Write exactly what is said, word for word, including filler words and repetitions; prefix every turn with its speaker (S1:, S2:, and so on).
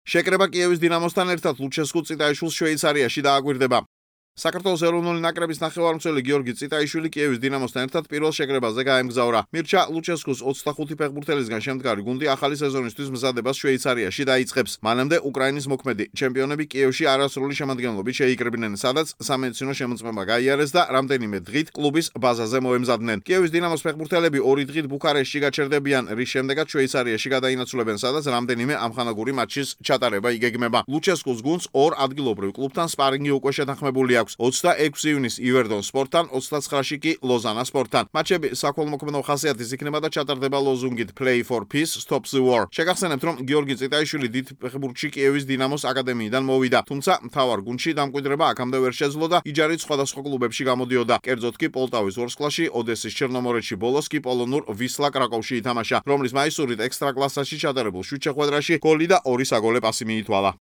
S1: შეკრება კიევის დინამოსთან ერთად ლუჩესკუ წიტაიშვილს შვეიცარიაში დააკვირდება. საქართველოს ეროვნული ნაკრების ნახევარმცველი გიორგი წიტაიშვილი კიევის დინამოსთან ერთად პირველ შეკრებაზე გაემგზავრა. მირჩა ლუჩესკუს ოცდახუთი ფეხბურთელისგან შემდგარი გუნდი ახალი სეზონისთვის მზადებას შვეიცარიაში დაიწყებს. მანამდე უკრაინის მოქმედი ჩემპიონები კიევში არასრული შემადგენლობით შეიკრიბნენ, სადაც სამედიცინო შემოწმება გაიარეს და რამდენიმე დღით კლუბის ბაზაზე მოემზადნენ. კიევის დინამოს ფეხბურთელები ორი დღით ბუქარესტში გაჩერდებიან, რის შემდეგაც შვეიცარიაში გადაინაცვლებენ, სადაც რამდენიმე ამხანაგური მატჩის ჩატარება იგეგმება. ლუჩესკუს გუნდს ორ ადგილობრივ კლუბთან სპარინგი უკვე შეთანხმებული აქვს. ოცდაექვსი ივნის ივერდონ სპორტთან, ოცდაცხრაში კი ლოზანა სპორტთან. მატჩები საქველმოქმედო ხასიათის იქნება და ჩატარდება ლოზუნგით Play for Peace, Stop the War. შეგახსენებთ, რომ გიორგი წიტაიშვილი დიდ ფეხბურთში კიევის დინამოს აკადემიიდან მოვიდა, თუმცა მთავარ გუნდში დამკვიდრება აქამდე ვერ შეძლო და იჯარით სხვადასხვა კლუბებში გამოდიოდა. კერძოდ კი პოლტავის ვორსკლაში, ოდესის ჩერნომორეთში, ბოლოს კი პოლონურ ვისლა კრაკოვში ითამაშა, რომლის მაისურით ექსტრა კლასაში ჩატარებულ შვიდ შეხვედრაში გოლი და ორი საგოლე პასი მიითვალა.